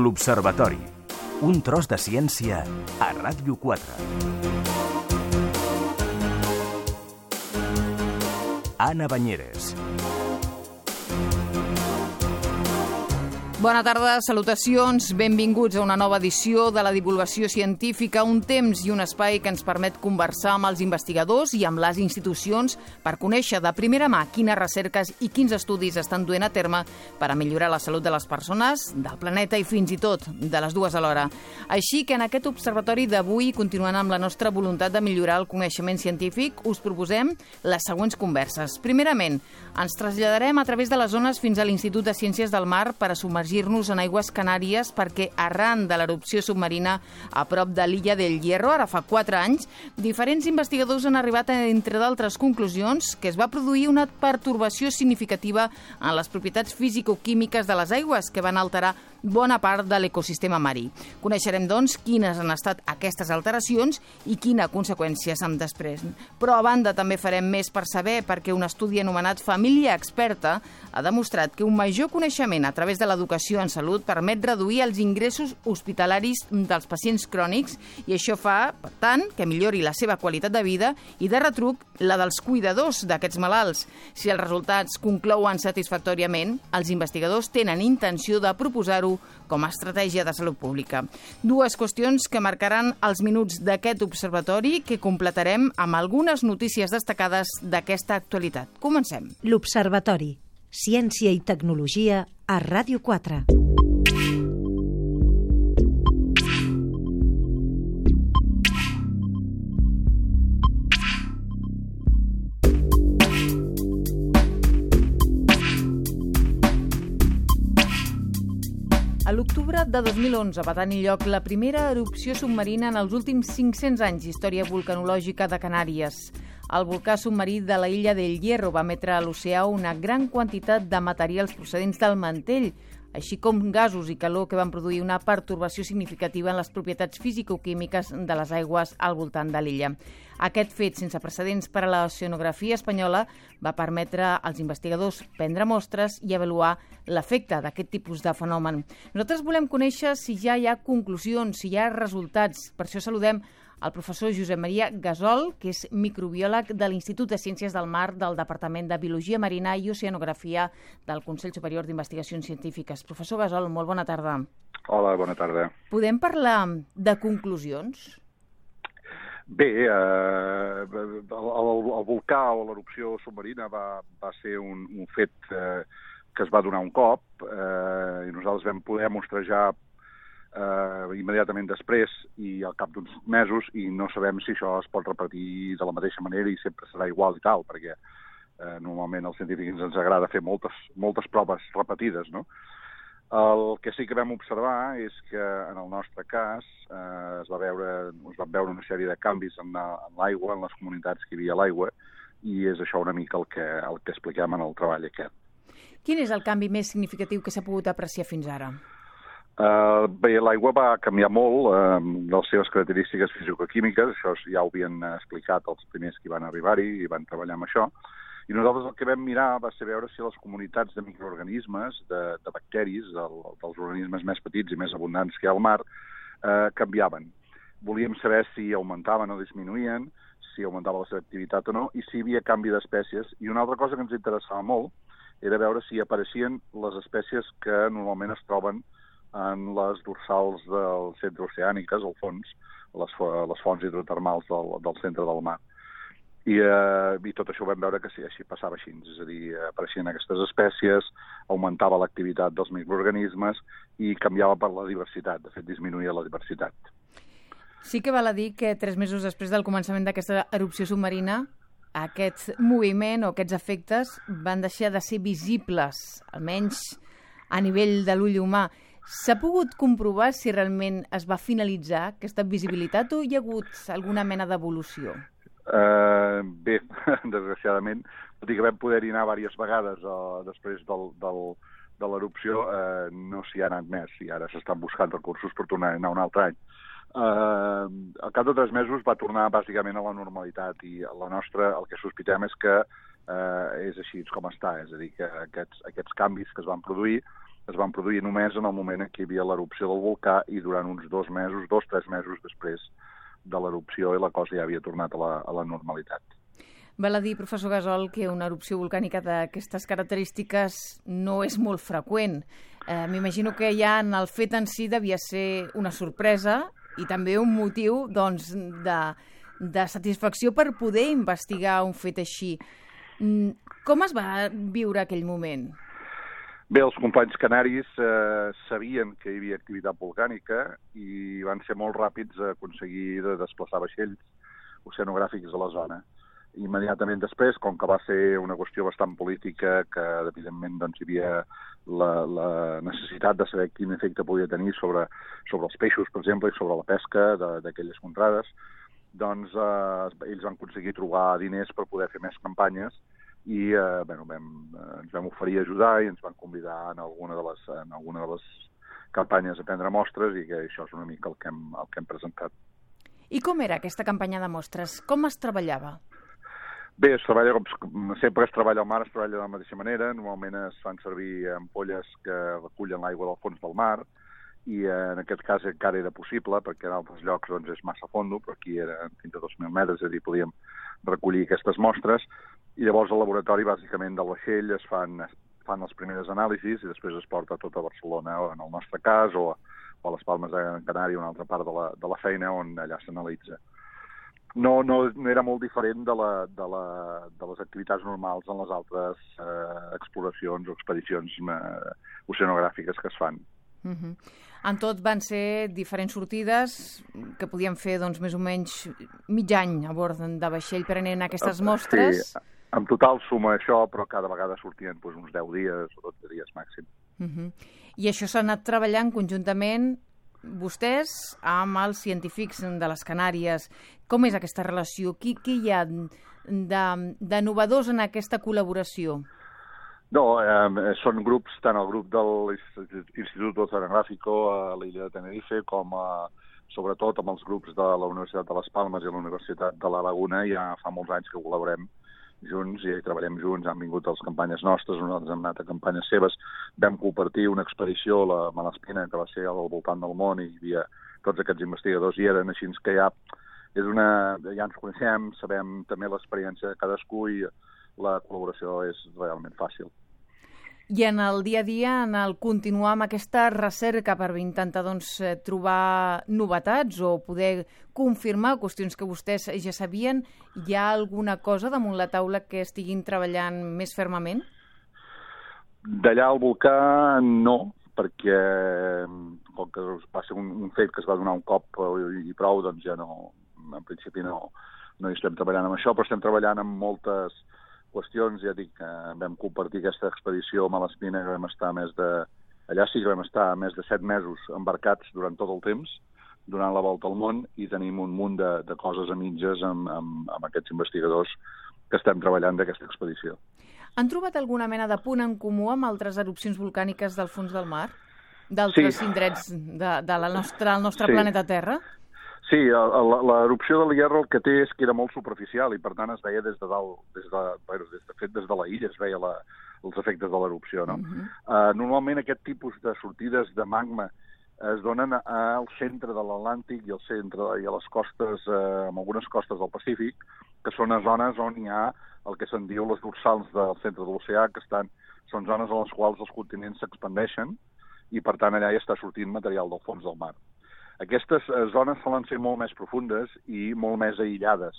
L'Observatori. Un tros de ciència a Ràdio 4. Anna Banyeres. Bona tarda, salutacions, benvinguts a una nova edició de la divulgació científica, un temps i un espai que ens permet conversar amb els investigadors i amb les institucions per conèixer de primera mà quines recerques i quins estudis estan duent a terme per a millorar la salut de les persones, del planeta i fins i tot de les dues alhora. Així que en aquest observatori d'avui, continuant amb la nostra voluntat de millorar el coneixement científic, us proposem les següents converses. Primerament, ens traslladarem a través de les zones fins a l'Institut de Ciències del Mar per a submergir-nos en aigües Canàries perquè arran de l'erupció submarina a prop de l'illa del Hierro, ara fa 4 anys, diferents investigadors han arribat a, entre d'altres conclusions, que es va produir una pertorbació significativa en les propietats físico-químiques de les aigües que van alterar bona part de l'ecosistema marí. Coneixerem, doncs, quines han estat aquestes alteracions i quina conseqüència se'n desprèn. Però, a banda, també farem més per saber perquè un estudi anomenat Família Experta ha demostrat que un major coneixement a través de l'educació en salut permet reduir els ingressos hospitalaris dels pacients crònics i això fa, per tant, que millori la seva qualitat de vida i, de retruc, la dels cuidadors d'aquests malalts. Si els resultats conclouen satisfactòriament, els investigadors tenen intenció de proposar-ho com a estratègia de salut pública. Dues qüestions que marcaran els minuts d'aquest observatori que completarem amb algunes notícies destacades d'aquesta actualitat. Comencem. L'Observatori. Ciència i tecnologia a Ràdio 4. A l'octubre de 2011 va tenir lloc la primera erupció submarina en els últims 500 anys d'història vulcanològica de Canàries. El volcà submarí de la illa del Hierro va emetre a l'oceà una gran quantitat de materials procedents del mantell, així com gasos i calor que van produir una pertorbació significativa en les propietats físico-químiques de les aigües al voltant de l'illa. Aquest fet, sense precedents per a l'oceanografia espanyola, va permetre als investigadors prendre mostres i avaluar l'efecte d'aquest tipus de fenomen. Nosaltres volem conèixer si ja hi ha conclusions, si hi ha resultats. Per això saludem el professor Josep Maria Gasol, que és microbiòleg de l'Institut de Ciències del Mar del Departament de Biologia Marina i Oceanografia del Consell Superior d'Investigacions Científiques. Professor Gasol, molt bona tarda. Hola, bona tarda. Podem parlar de conclusions? Bé, el volcà o l'erupció submarina va ser un fet que es va donar un cop i nosaltres vam poder mostrejar immediatament després i al cap d'uns mesos i no sabem si això es pot repetir de la mateixa manera i sempre serà igual i tal, perquè normalment als científics ens agrada fer moltes proves repetides, no? El que sí que vam observar és que en el nostre cas es van veure una sèrie de canvis en l'aigua, en les comunitats que hi havia a l'aigua, i és això una mica el que expliquem en el treball aquest. Quin és el canvi més significatiu que s'ha pogut apreciar fins ara? Bé, l'aigua va canviar molt de les seves característiques fisicoquímiques, això ja ho havien explicat els primers que van arribar-hi i van treballar amb això, i nosaltres el que vam mirar va ser veure si les comunitats de microorganismes, de bacteris, dels organismes més petits i més abundants que hi ha al mar, canviaven. Volíem saber si augmentaven o disminuïen, si augmentava la seva activitat o no, i si hi havia canvi d'espècies. I una altra cosa que ens interessava molt era veure si apareixien les espècies que normalment es troben en les dorsals del centre oceàniques, al fons, les fonts hidrotermals del centre del mar. I tot això ho vam veure que sí, així passava així, és a dir, apareixien aquestes espècies, augmentava l'activitat dels microorganismes i canviava per la diversitat, de fet disminuïa la diversitat. Sí que val a dir que 3 mesos després del començament d'aquesta erupció submarina, aquest moviment o aquests efectes van deixar de ser visibles, almenys a nivell de l'ull humà. S'ha pogut comprovar si realment es va finalitzar aquesta visibilitat o hi ha hagut alguna mena d'evolució? Bé, desgraciadament, tot i que vam poder anar diverses vegades després de l'erupció, no s'hi ha anat més i ara s'estan buscant recursos per tornar a anar un altre any. Al cap de 3 mesos va tornar bàsicament a la normalitat i la nostra, el que sospitem és que és així com està, és a dir, que aquests canvis que es van produir es van produir només en el moment en què hi havia l'erupció del volcà i durant uns 3 mesos després de l'erupció i la cosa ja havia tornat a la normalitat. Val a dir, professor Gasol, que una erupció volcànica d'aquestes característiques no és molt freqüent. M'imagino que ja en el fet en si devia ser una sorpresa i també un motiu doncs, de satisfacció per poder investigar un fet així. Com es va viure aquell moment? Bé, els companys canaris sabien que hi havia activitat volcànica i van ser molt ràpids a aconseguir de desplaçar vaixells oceanogràfics a la zona. Immediatament després, com que va ser una qüestió bastant política, que evidentment doncs, hi havia la necessitat de saber quin efecte podia tenir sobre els peixos, per exemple, i sobre la pesca d'aquelles contrades, doncs ells van aconseguir trobar diners per poder fer més campanyes i ens vam oferir a ajudar i ens van convidar en alguna de les campanyes a prendre mostres i que això és una mica el que hem presentat. I com era aquesta campanya de mostres? Com es treballava? Bé, sempre es treballa al mar, es treballa de la mateixa manera. Normalment es fan servir ampolles que recullen l'aigua del fons del mar i en aquest cas encara era possible perquè en altres llocs doncs, és massa fondo, però aquí era fins a 2.000 metres, és a dir, podíem recollir aquestes mostres i llavors al laboratori bàsicament del vaixell es fan les primeres anàlisis i després es porta tot a Barcelona, o en el nostre cas, o a les Palmes de Gran Canària, una altra part de la feina on allà s'analitza. No era molt diferent de les activitats normals en les altres exploracions o expedicions oceanogràfiques que es fan. En tot van ser diferents sortides que podien fer doncs, més o menys mig any a bord de vaixell prenent aquestes mostres. Sí, en total suma això, però cada vegada sortien uns 10 dies o 12 dies màxim. I això s'ha anat treballant conjuntament vostès amb els científics de les Canàries. Com és aquesta relació? Què hi ha de novedós en aquesta col·laboració? No, són grups, tant el grup de l'Institut Oceanográfico a l'illa de Tenerife com sobretot amb els grups de la Universitat de les Palmes i la Universitat de la Laguna. Ja fa molts anys que col·laborem junts i treballem junts, han vingut a les campanyes nostres, nosaltres hem anat a campanyes seves, vam compartir una expedició a la Malaspina, que va ser al voltant del món, i hi havia tots aquests investigadors hi eren, així que ja ens coneixem, sabem també l'experiència de cadascú i la col·laboració és realment fàcil. I en el dia a dia, en el continuar amb aquesta recerca per intentar doncs, trobar novetats o poder confirmar qüestions que vostès ja sabien, hi ha alguna cosa damunt la taula que estiguin treballant més fermament? D'allà al volcà no, perquè com que va ser un fet que es va donar un cop i prou, doncs ja no, en principi no hi estem treballant amb això, però estem treballant amb moltes qüestions. Ja dic que vam compartir aquesta expedició a Malaspina, que vam estar allà sí que vam estar més de 7 mesos embarcats durant tot el temps, donant la volta al món, i tenim un munt de coses a mitges amb aquests investigadors que estem treballant d'aquesta expedició. Han trobat alguna mena de punt en comú amb altres erupcions volcàniques del fons del mar? D'altres indrets del nostre planeta Terra? Sí, l'erupció del Hierro el que té és que era molt superficial i per tant es veia des de dalt, des de la illa es veia els efectes de l'erupció. No? Normalment aquest tipus de sortides de magma es donen al centre de l'Atlàntic i al centre i a les costes, en algunes costes del Pacífic, que són zones on hi ha el que se'n diu les dorsals del centre de l'oceà, que són zones en les quals els continents s'expandeixen i per tant allà hi està sortint material del fons del mar. Aquestes zones solen ser molt més profundes i molt més aïllades.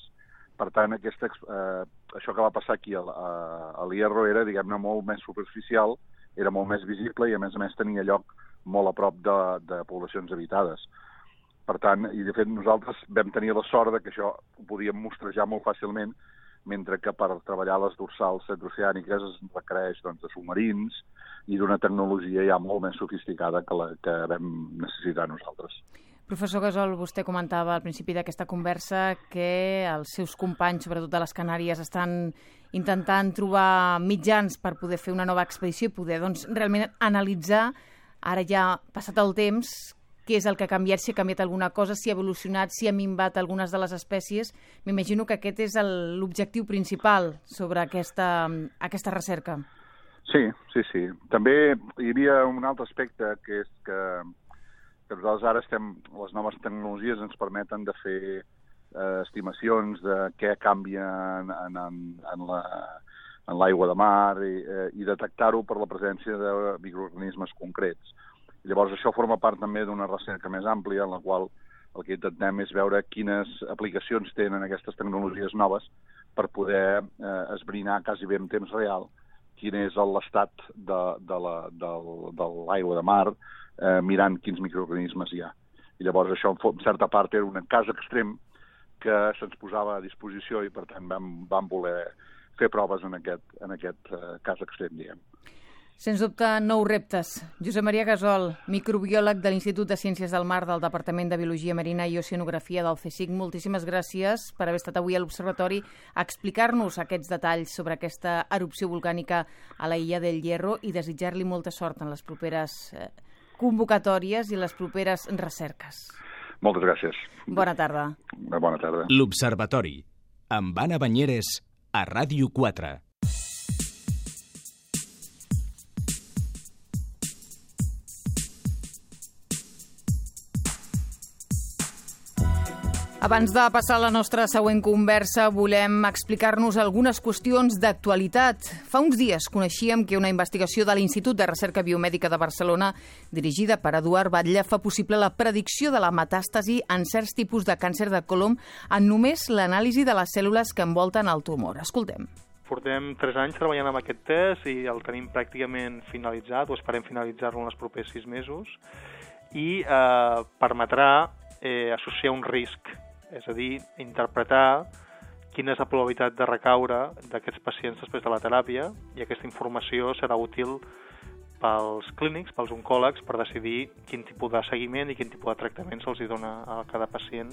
Per tant, això que va passar aquí a l'Hierro era, diguem-ne, molt més superficial, era molt més visible i, a més, tenia lloc molt a prop de poblacions habitades. Per tant, i de fet nosaltres vam tenir la sort que això ho podíem mostrejar molt fàcilment, mentre que per treballar les dorsals centroceàniques es requereix de submarins i d'una tecnologia ja molt més sofisticada que la que vam necessitar nosaltres. Professor Gasol, vostè comentava al principi d'aquesta conversa que els seus companys, sobretot de les Canàries, estan intentant trobar mitjans per poder fer una nova expedició i poder realment analitzar, ara ja passat el temps, què és el que ha canviat, si ha canviat alguna cosa, si ha evolucionat, si ha minvat algunes de les espècies. M'imagino que aquest és l'objectiu principal sobre aquesta recerca. Sí. També hi havia un altre aspecte, que és que nosaltres ara les noves tecnologies ens permeten de fer estimacions de què canvia en l'aigua de mar i detectar-ho per la presència de microorganismes concrets. Llavors això forma part també d'una recerca més àmplia en la qual el que intentem és veure quines aplicacions tenen aquestes tecnologies noves per poder esbrinar quasi bé en temps real quin és l'estat de l'aigua de mar, mirant quins microorganismes hi ha. I llavors això, en certa part, era un cas extrem que se'ns posava a disposició i, per tant, vam voler fer proves en aquest cas extrem, diguem. Sens dubte, nous reptes. Josep Maria Gasol, microbiòleg de l'Institut de Ciències del Mar del Departament de Biologia Marina i Oceanografia del CSIC. Moltíssimes gràcies per haver estat avui a l'Observatori a explicar-nos aquests detalls sobre aquesta erupció volcànica a la Illa del Hierro i desitjar-li molta sort en les properes convocatòries i les properes recerques. Moltes gràcies. Bona tarda. Bona tarda. L'Observatori, amb Anna Banyeres, a Ràdio 4. Abans de passar a la nostra següent conversa, volem explicar-nos algunes qüestions d'actualitat. Fa uns dies coneixíem que una investigació de l'Institut de Recerca Biomèdica de Barcelona, dirigida per Eduard Batlle, fa possible la predicció de la metàstasi en certs tipus de càncer de còlon en només l'anàlisi de les cèl·lules que envolten el tumor. Escoltem. Portem 3 anys treballant amb aquest test i el tenim pràcticament finalitzat, o esperem finalitzar-lo en els propers 6 mesos, i permetrà associar un risc, és a dir, interpretar quina és la probabilitat de recaure d'aquests pacients després de la teràpia, i aquesta informació serà útil pels clínics, pels oncòlegs, per decidir quin tipus de seguiment i quin tipus de tractament se'ls dona a cada pacient.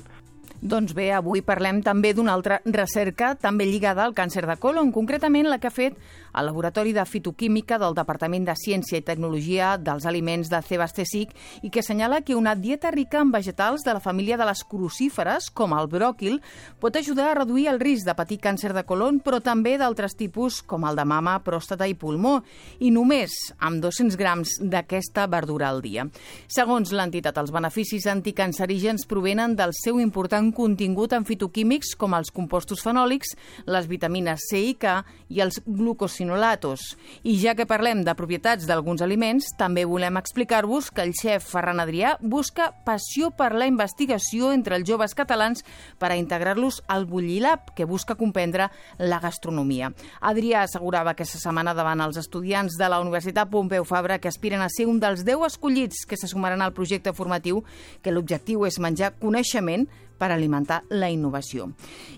Doncs bé, avui parlem també d'una altra recerca també lligada al càncer de còlon, concretament la que ha fet el Laboratori de Fitoquímica del Departament de Ciència i Tecnologia dels Aliments de CSIC i que assenyala que una dieta rica en vegetals de la família de les crucíferes, com el bròquil, pot ajudar a reduir el risc de patir càncer de còlon, però també d'altres tipus com el de mama, pròstata i pulmó, i només amb 200 grams d'aquesta verdura al dia. Segons l'entitat, els beneficis anticancerígens provenen del seu important contingut en fitoquímics com els compostos fenòlics, les vitamines C i K i els glucosinolatos. I ja que parlem de propietats d'alguns aliments, també volem explicar-vos que el xef Ferran Adrià busca passió per la investigació entre els joves catalans per a integrar-los al Bullilab, que busca comprendre la gastronomia. Adrià assegurava aquesta setmana davant els estudiants de la Universitat Pompeu Fabra que aspiren a ser un dels 10 escollits que se sumaran al projecte formatiu, que l'objectiu és menjar coneixement per alimentar la innovació.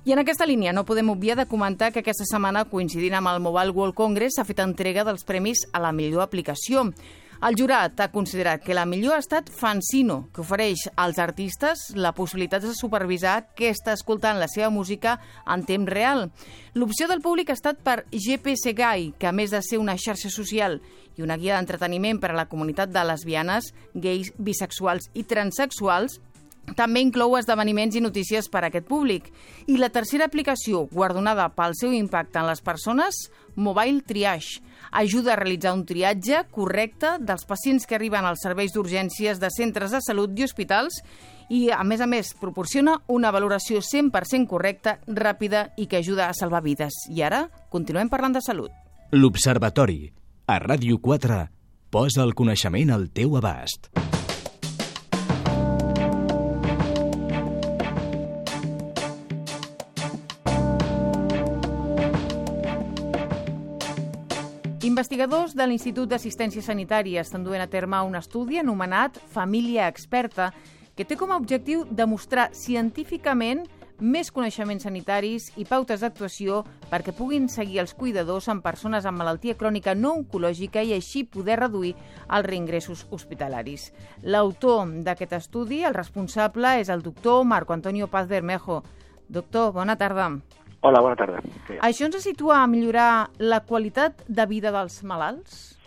I en aquesta línia no podem obviar de comentar que aquesta setmana, coincidint amb el Mobile World Congress, s'ha fet entrega dels premis a la millor aplicació. El jurat ha considerat que la millor ha estat Fancino, que ofereix als artistes la possibilitat de supervisar què està escoltant la seva música en temps real. L'opció del públic ha estat per GPS Guy, que a més de ser una xarxa social i una guia d'entreteniment per a la comunitat de lesbianes, gais, bisexuals i transexuals, també inclou esdeveniments i notícies per a aquest públic. I la tercera aplicació, guardonada pel seu impacte en les persones, Mobile Triage, ajuda a realitzar un triatge correcte dels pacients que arriben als serveis d'urgències de centres de salut i hospitals i, a més, proporciona una valoració 100% correcta, ràpida i que ajuda a salvar vides. I ara continuem parlant de salut. L'Observatori, a Ràdio 4, posa el coneixement al teu abast. Investigadors de l'Institut d'Assistència Sanitària estan duent a terme un estudi anomenat Família Experta, que té com a objectiu demostrar científicament més coneixements sanitaris i pautes d'actuació perquè puguin seguir els cuidadors amb persones amb malaltia crònica no oncològica i així poder reduir els reingressos hospitalaris. L'autor d'aquest estudi, el responsable, és el doctor Marco Antonio Paz Bermejo. Doctor, bona tarda. Hola, bona tarda. ¿Això ens situa a millorar la qualitat de vida dels malalts?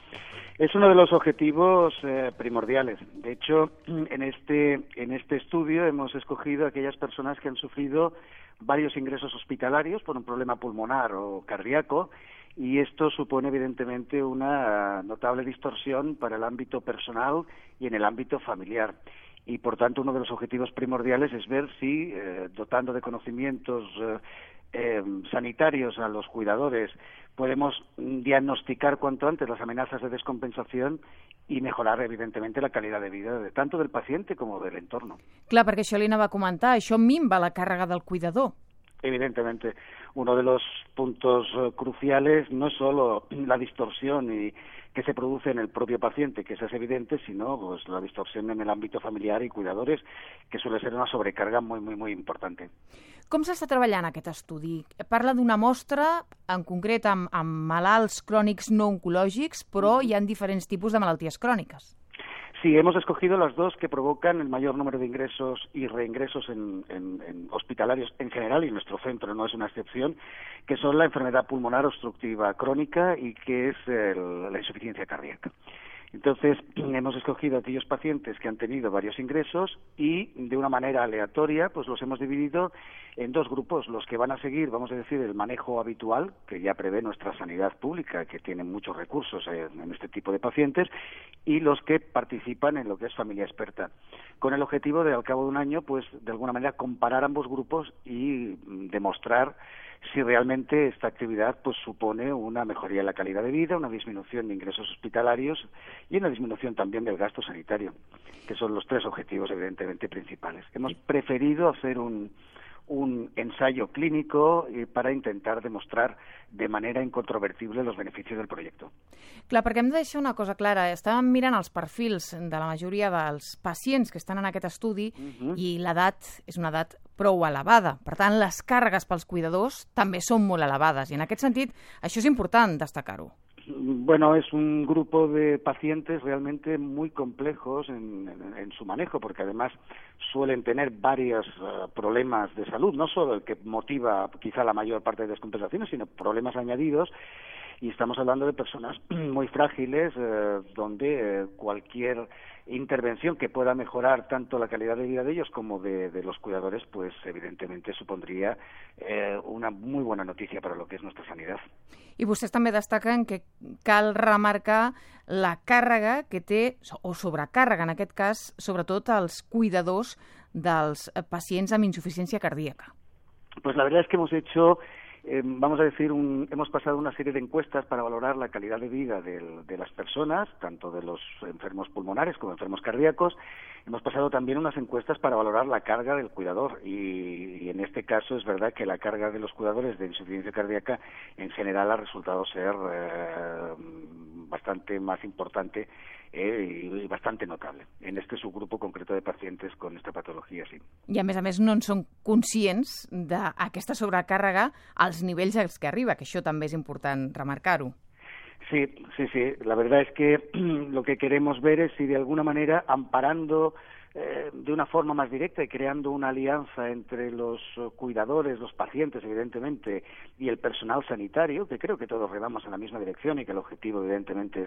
Es uno de los objetivos primordiales. De hecho, en este estudio hemos escogido a aquellas personas que han sufrido varios ingresos hospitalarios por un problema pulmonar o cardíaco y esto supone evidentemente una notable distorsión para el ámbito personal y en el ámbito familiar. Y por tanto uno de los objetivos primordiales es ver si dotando de conocimientos sanitarios a los cuidadores podemos diagnosticar cuanto antes las amenazas de descompensación i mejorar, evidentemente, la calidad de vida tanto del paciente como del entorno. Clar, perquè això li anava a comentar, això minva la càrrega del cuidador. Evidentemente, uno de los puntos cruciales no es solo la distorsión que se produce en el propio paciente, que esa es evidente, sino pues la distorsión en el ámbito familiar y cuidadores, que suele ser una sobrecarga muy importante. Com s'està treballant aquest estudi? Parla d'una mostra, en concret amb malalts crònics no oncològics, però hi ha diferents tipus de malalties cròniques. Sí, hemos escogido las dos que provocan el mayor número de ingresos y reingresos en hospitalarios en general, y nuestro centro no es una excepción, que son la enfermedad pulmonar obstructiva crónica y que es la insuficiencia cardíaca. Entonces, hemos escogido aquellos pacientes que han tenido varios ingresos y, de una manera aleatoria, pues los hemos dividido en dos grupos. Los que van a seguir, vamos a decir, el manejo habitual, que ya prevé nuestra sanidad pública, que tiene muchos recursos en este tipo de pacientes, y los que participan en lo que es familia experta, con el objetivo de, al cabo de un año, pues, de alguna manera, comparar ambos grupos y demostrar si realmente esta actividad pues supone una mejoría en la calidad de vida, una disminución de ingresos hospitalarios y una disminución también del gasto sanitario, que son los tres objetivos evidentemente principales. Hemos preferido hacer un ensayo clínico para intentar demostrar de manera incontrovertible los beneficios del proyecto. Clar, perquè hem de deixar una cosa clara. Estàvem mirant els perfils de la majoria dels pacients que estan en aquest estudi i l'edat és una edat prou elevada. Per tant, les càrregues pels cuidadors també són molt elevades i en aquest sentit això és important destacar-ho. Bueno, es un grupo de pacientes realmente muy complejos en su manejo, porque además suelen tener varios problemas de salud, no solo el que motiva quizá la mayor parte de descompensaciones, sino problemas añadidos, y estamos hablando de personas muy frágiles, donde cualquier intervención que pueda mejorar tanto la calidad de vida de ellos como de los cuidadores, pues evidentemente supondría una muy buena noticia para lo que es nuestra sanidad. I vostès també destaquen que cal remarcar la càrrega que té, o sobrecàrrega en aquest cas, sobretot als cuidadors dels pacients amb insuficiència cardíaca. Pues la verdad es que hemos hecho vamos a decir, hemos pasado una serie de encuestas para valorar la calidad de vida de las personas, tanto de los enfermos pulmonares como enfermos cardíacos. Hemos pasado también unas encuestas para valorar la carga del cuidador y en este caso es verdad que la carga de los cuidadores de insuficiencia cardíaca en general ha resultado ser bastante más importante y bastante notable en este subgrupo concreto de pacientes con esta patología, sí. I a més no en són conscients d'aquesta sobrecàrrega als nivells als que arriba, que això també és important remarcar-ho. Sí. La verdad es que lo que queremos ver es si de alguna manera, amparando de una forma más directa y creando una alianza entre los cuidadores, los pacientes, evidentemente, y el personal sanitario, que creo que todos remamos en la misma dirección y que el objetivo, evidentemente,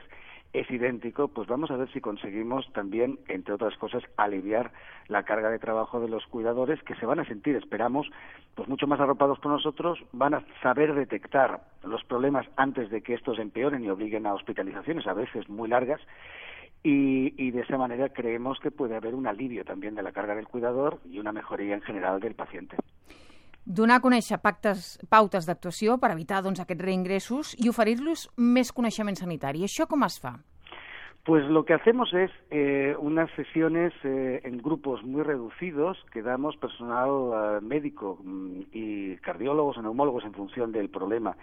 es idéntico, pues vamos a ver si conseguimos también, entre otras cosas, aliviar la carga de trabajo de los cuidadores, que se van a sentir, esperamos, pues mucho más arropados por nosotros, van a saber detectar los problemas antes de que estos empeoren y obliguen a hospitalizaciones, a veces muy largas, y de esa manera creemos que puede haver un alivio també de la carga del cuidador i una mejoria en general del paciente. Donar a conèixer pautes d'actuació per evitar aquests reingressos i oferir-los més coneixement sanitari. Això com es fa? Pues lo que hacemos es unas sesiones en grupos muy reducidos que damos personal médico y cardiólogos o neumólogos en función del problema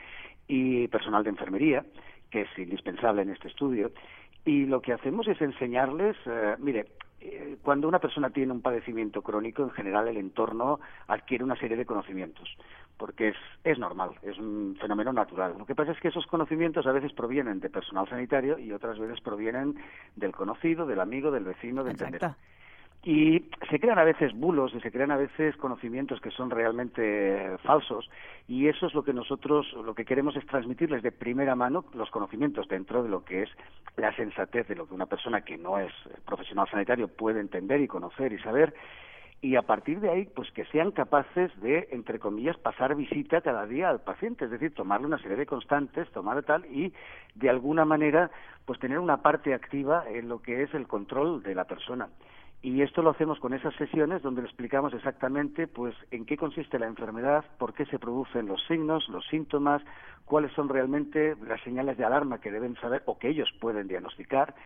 y personal de enfermería, que es indispensable en este estudio. Y lo que hacemos es enseñarles, cuando una persona tiene un padecimiento crónico, en general el entorno adquiere una serie de conocimientos, porque es normal, es un fenómeno natural. Lo que pasa es que esos conocimientos a veces provienen de personal sanitario y otras veces provienen del conocido, del amigo, del vecino, del entender. Y se crean a veces bulos y se crean a veces conocimientos que son realmente falsos, y eso es lo que nosotros lo que queremos es transmitirles de primera mano los conocimientos dentro de lo que es la sensatez de lo que una persona que no es profesional sanitario puede entender y conocer y saber, y a partir de ahí, pues que sean capaces de, entre comillas, pasar visita cada día al paciente, es decir, tomarle una serie de constantes, tomar tal, y de alguna manera, pues tener una parte activa en lo que es el control de la persona. Y esto lo hacemos con esas sesiones donde le explicamos exactamente pues en qué consiste la enfermedad, por qué se producen los signos, los síntomas, cuáles son realmente las señales de alarma que deben saber o que ellos pueden diagnosticar,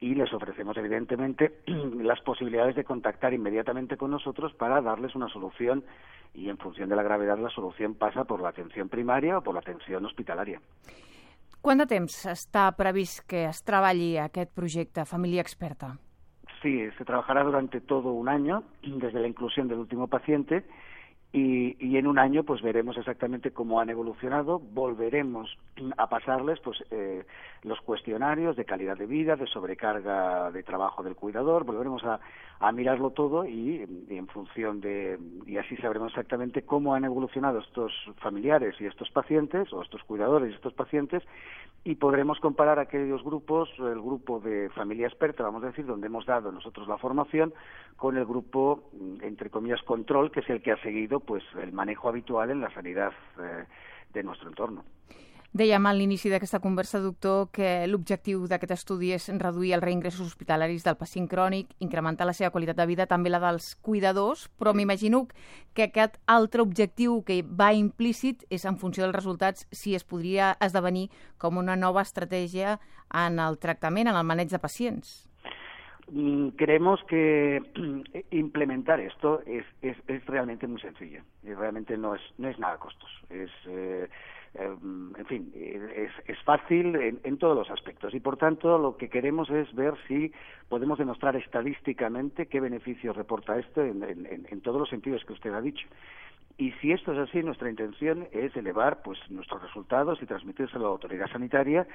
y les ofrecemos evidentemente las posibilidades de contactar inmediatamente con nosotros para darles una solución, y en función de la gravedad la solución pasa por la atención primaria o por la atención hospitalaria. Quant de temps està previst que es treballi aquest projecte Família Experta? Sí, se trabajará durante todo un año, desde la inclusión del último paciente, y en un año pues veremos exactamente cómo han evolucionado, volveremos a pasarles pues los cuestionarios de calidad de vida, de sobrecarga de trabajo del cuidador, volveremos a mirarlo todo y en función de, y así sabremos exactamente cómo han evolucionado estos familiares y estos pacientes, o estos cuidadores y estos pacientes, y podremos comparar aquellos grupos, el grupo de Familia Experta, vamos a decir, donde hemos dado nosotros la formación, con el grupo, entre comillas, control, que es el que ha seguido pues el manejo habitual en la sanidad de nuestro entorno. Dèiem a l'inici d'aquesta conversa, doctor, que l'objectiu d'aquest estudi és reduir els reingressos hospitalaris del pacient crònic, incrementar la seva qualitat de vida, també la dels cuidadors, però m'imagino que aquest altre objectiu que va implícit és en funció dels resultats si es podria esdevenir com una nova estratègia en el tractament, en el maneig de pacients. Creemos que implementar esto es realmente muy sencillo y realmente no es nada costoso. En fin, es fácil en todos los aspectos y por tanto lo que queremos es ver si podemos demostrar estadísticamente qué beneficios reporta esto en todos los sentidos que usted ha dicho. Y si esto es así, nuestra intención es elevar pues nuestros resultados y transmitírselo a la autoridad sanitaria,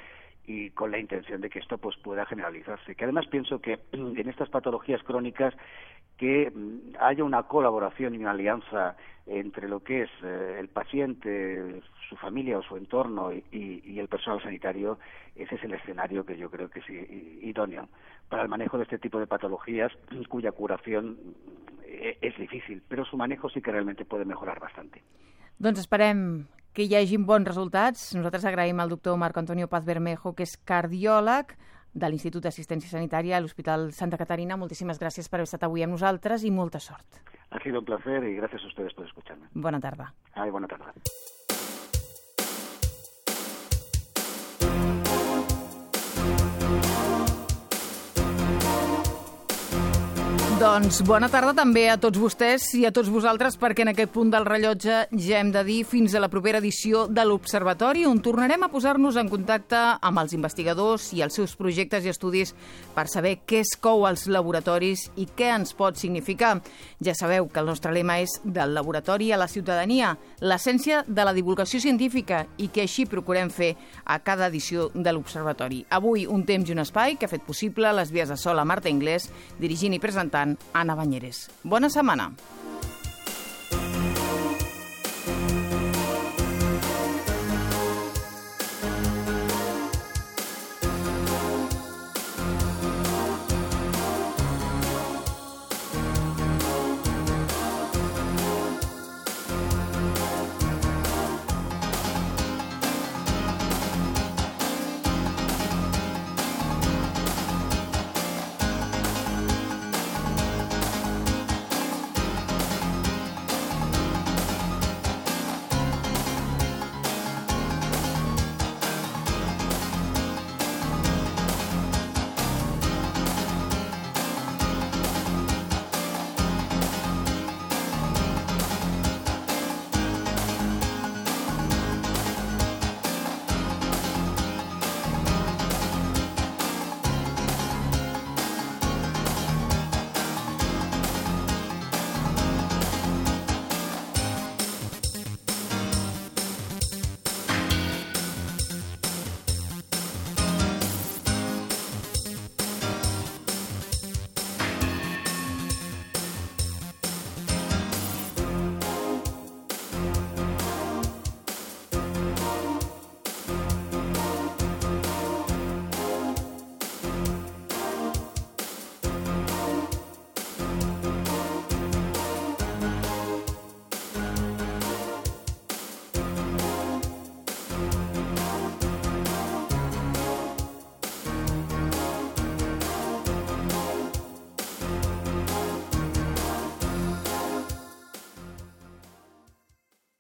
y con la intención de que esto pues pueda generalizarse. Que además pienso que en estas patologías crónicas que haya una colaboración y una alianza entre lo que es el paciente, su familia o su entorno y el personal sanitario, ese es el escenario que yo creo que es idóneo para el manejo de este tipo de patologías cuya curación és difícil, però su manejo sí que realmente puede mejorar bastante. Doncs esperem que hi hagin bons resultats. Nosaltres agraïm al doctor Marco Antonio Paz Bermejo, que és cardiòleg de l'Institut d'Assistència Sanitària a l'Hospital Santa Catarina. Moltíssimes gràcies per haver estat avui amb nosaltres i molta sort. Ha sido un placer y gracias a ustedes por escucharme. Bona tarda. Bona tarda. Doncs bona tarda també a tots vostès i a tots vosaltres, perquè en aquest punt del rellotge ja hem de dir fins a la propera edició de l'Observatori, on tornarem a posar-nos en contacte amb els investigadors i els seus projectes i estudis per saber què es cou als laboratoris i què ens pot significar. Ja sabeu que el nostre lema és del laboratori a la ciutadania, l'essència de la divulgació científica, i que així procurem fer a cada edició de l'Observatori. Avui un temps i un espai que ha fet possible les vies de sol a Marta Inglés, dirigint i presentant Anna Banyeres. Bona setmana.